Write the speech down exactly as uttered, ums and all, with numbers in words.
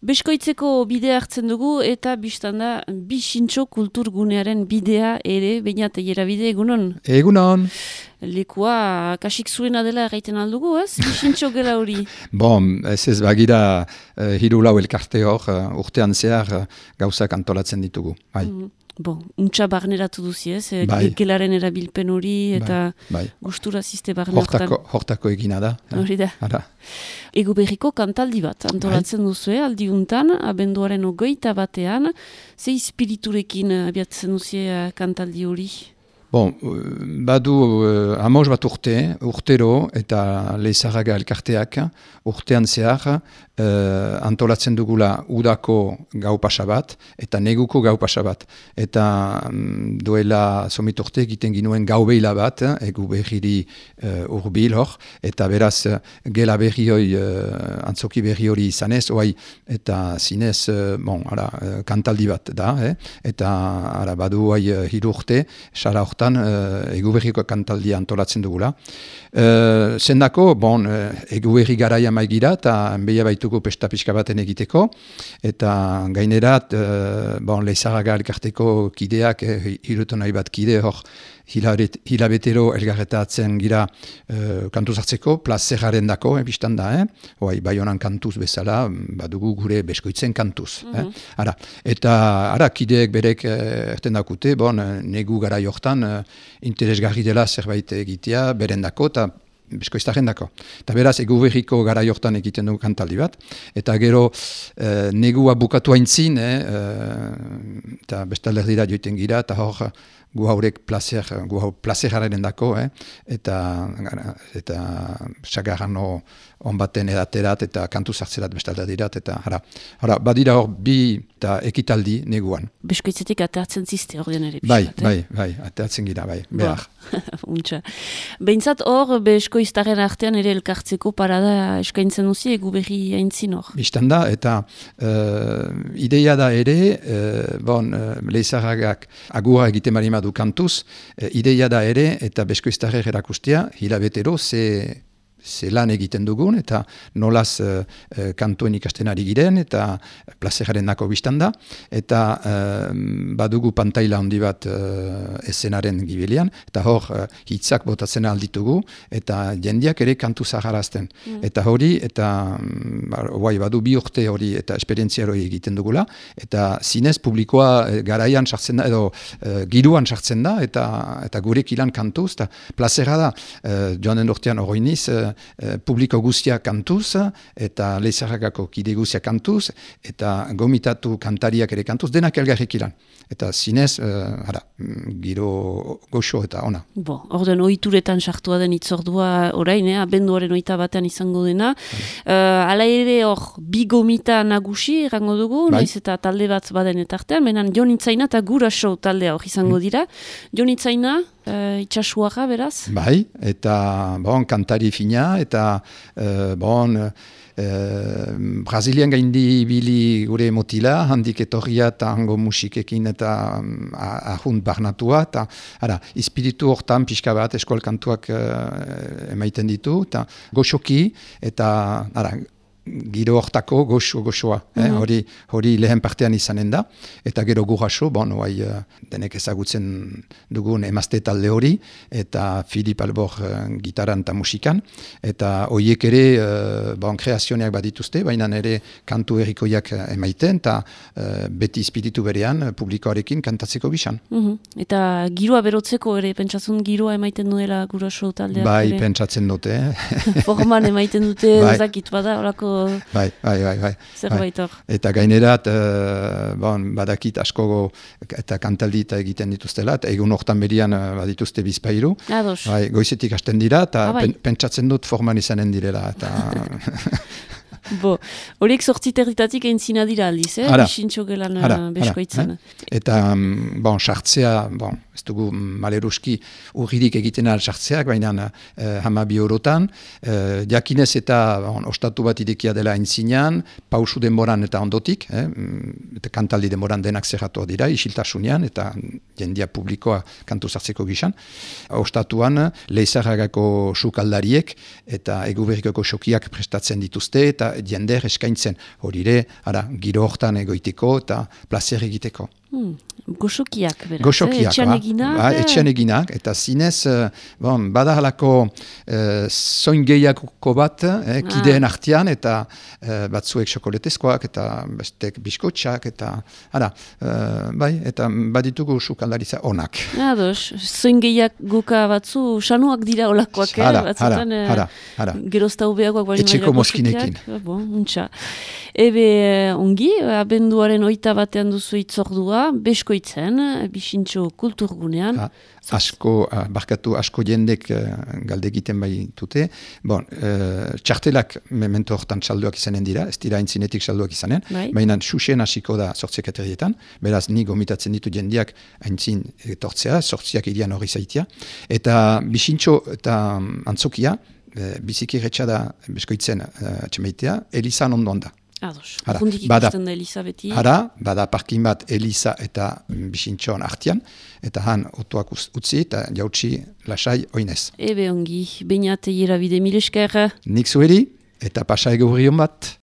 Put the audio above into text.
Beskoitzeko bidea hartzen dugu eta biztan da Bixintxo kulturgunearen bidea ere, bainat egera bide egunon? Egunon. Lekua kasik zuena dela erraiten aldugu, ez? Bixintxo gela hori. Bon, ez ez bagira uh, hiru lau elkarte hor uh, urtean zehar uh, gauzak antolatzen ditugu. Bai. Mm. Bon, untxa barneratu duzi, ez? Bai. Gelaren erabilpen hori eta bai, bai. gustura ziste barnertan. Hortako, hortako egina da. Hori da. Ara. Ego berriko kantaldi bat, antolatzen bai. Duzue, aldiuntan, abenduaren ogoita batean, ze espiriturekin abiatzen duzie kantaldi hori? Bon, badu uh, amos bat urte, urtero eta Leizarraga elkarteak urtean zehar uh, antolatzen dugula udako gau pasa bat eta neguko gau pasa bat. Eta um, duela somit urte egiten ginuen gau behila bat, egu berriri uh, urbil hor, eta beraz gela berri hori, uh, antzoki berri hori izanez, oai, eta zinez, uh, bon, ara, uh, kantaldi bat da, eh? Eta ara, badu oai uh, hiru urte, sara hortan, Uh, eguberriko kantaldia antolatzen dugula. Uh, zendako, bon, uh, eguberri garaia maigira eta enbeia baituko pesta pixka baten egiteko, eta gainerat, uh, bon, Leizarraga elkarteko kideak, eh, hirutu nahi bat kide hor, hilabetero elgarretatzen gira uh, kantuz hartzeko, plazeraren dako, eh, biztan da, eh? Oai, bai honan kantuz bezala, badugu gure beskoitzen kantuz. Mm-hmm. eh? Ara, eta ara, kideek berek eh, erten dakute, bon, negu gara jortan, eh, interesgarri dela zerbait egitea, berendako, eta beskoiztaren dako. Eta beraz, eguberriko gara jortan egiten dugu kantaldi bat, eta gero eh, negua bukatu haintzin, eh, eta bestalerdira joiten gira, eta hor, gu haurek placer, gu hau plazeraren dako, eh? eta eta sagarran on baten edaterat, eta kantu zartzerat bestaldadirat, eta hara, hara, badira hor bi eta ekitaldi neguan. Beskoitzetik ateatzen ziste hor den ere. Bai, bai, bai, ateatzen gira, bai, behar. Untxa. Behintzat hor, beskoiztaren artean ere elkartzeko parada eskaintzen duzi, egu berri haintzin hor. Bistan da, eta uh, ideia da ere, uh, bon, uh, Leizarragak agura egiten marima du kantuz, uh, ideia da ere, eta beskoiztarrer erakustea, hilabetero, ze ze lan egiten dugun, eta nolaz uh, uh, kantuen ikasten ari giren, eta plazeraren dako biztan da, eta uh, badugu pantaila handi bat uh, eszenaren gibelian, eta hor uh, hitzak botatzen alditugu, eta jendiak ere kantu zaharazten. Mm. Eta hori, eta um, badu bi urte hori, eta esperientzia hori egiten dugula, eta zinez publikoa uh, garaian sartzen da, edo uh, giruan sartzen da, eta, eta gurek ilan kantuz, eta plazera da, uh, joan den urtean horoiniz, uh, Uh, publiko guztia kantuz, eta Leizarragako kide guztia kantuz, eta gomitatu kantariak ere kantuz, denak elgarrik ilan. Eta zinez, uh, ara, giro goxo eta ona. Bo, orden ohituretan sartua den itzordua orain, eh, abenduaren oita batean izango dena. Uh, ala ere hor, bi gomita nagusi errango dugu, bai. Naiz eta talde bat baden etartean, menan Jon Itzaina eta Guraso taldea hor izango dira. Mm. Jon Itzaina, uh, itxasuaga beraz? Bai, eta bon, kantari fina, eta uh, bon, uh, Brazilian gaindi bili gure motila, handik etorria eta hango musikekin eta um, ahunt barnatua, eta ara, espiritu hortan pixka bat eskolkantuak uh, emaiten ditu, eta goxoki, eta ara, giro hortako goxo goxoa, eh? mm-hmm. hori, hori lehen partean izanen da, eta gero Guraso, bon, oai, uh, denek ezagutzen dugun emazte talde hori, eta Filip Albor uh, gitaran eta musikan, eta horiek ere uh, bon, kreazioneak badituzte, baina ere kantu errikoiak emaiten, eta uh, beti espiritu berean uh, publikoarekin kantatzeko bisan. Mm-hmm. Eta giroa berotzeko ere, pentsatzen giroa emaiten duela Guraso taldeak bai, ere? Bai, pentsatzen dute. Eh? Forman emaiten dute, bai. Zakit bada, orako Bai, bai, bai, bai. Zerbait hor. Bai. Eta gainerat, uh, bon, badakit asko eta kantaldi eta egiten dituztela, eta egun hortan berian uh, badituzte bizpairu. Ados. Bai, goizetik hasten dira, eta ah, bai. pen, pentsatzen dut forman izanen direla. Eta... Bo, horiek sortzi territatik entzina dira aldiz, eh? Bixintxo gelan beskoitzen. Eh? Eta, bon, sartzea, bon, ez dugu maleruski urririk egiten al sartzeak, baina eh, hamabi eurotan, eh, jakinez eta bon, ostatu bat idekia dela entzinean, pausu denboran eta ondotik, eh? Eta kantaldi denboran denak zerratu dira, isiltasunean, eta jendia publikoa kantu sartzeko gizan. Ostatuan, Leizarragako sukaldariek eta Eguberrikoko xokiak prestatzen dituzte, eta jender eskaintzen. Horire, ara, giro hortan egoiteko eta plazer egiteko. Hmm. Goxokiak, beraz, Goxokiak, eh? Etxean ba, eginak. Ba, etxean eginak, eta zinez, uh, bon, bada halako uh, zoin gehiagoko bat, eh, kideen ah. artean, eta uh, batzuek xokoletezkoak, eta bestek biskotxak, eta, ara, uh, bai, eta baditugu sukaldaritza onak. Ados, zoin gehiagoka batzu, sanuak dira olakoak, eh? Hara, batzutan, hara, hara, hara. Gerozta ubeagoak bali etxeko mozkinekin. Bon, untxa. Ebe, ongi, abenduaren oita batean duzu itzordua, beskoitzen, bisintxo kulturgunean. Ha, asko, barkatu asko jendek uh, galde egiten bai dute. Bon, uh, txartelak memento hortan txalduak izanen dira, ez dira entzinetik txalduak izanen, bai. Baina xuxen hasiko da sortziak aterrietan, beraz ni gomitatzen ditu jendeak aintzin etortzea, sortziak irian hori zaitia. Eta bisintxo eta antzokia, uh, biziki retxa da beskoitzen uh, txemeitea, Elizan ondoan da. Ados, urrundik ikusten da Eliza beti. Hara, bada parkin bat Eliza eta bisintxoan artian, eta han otuak utzi eta jautsi lasai oinez. Ebe ongi, bainat eira bide mil esker. Nik zuheri, eta pasa ego hurrion bat.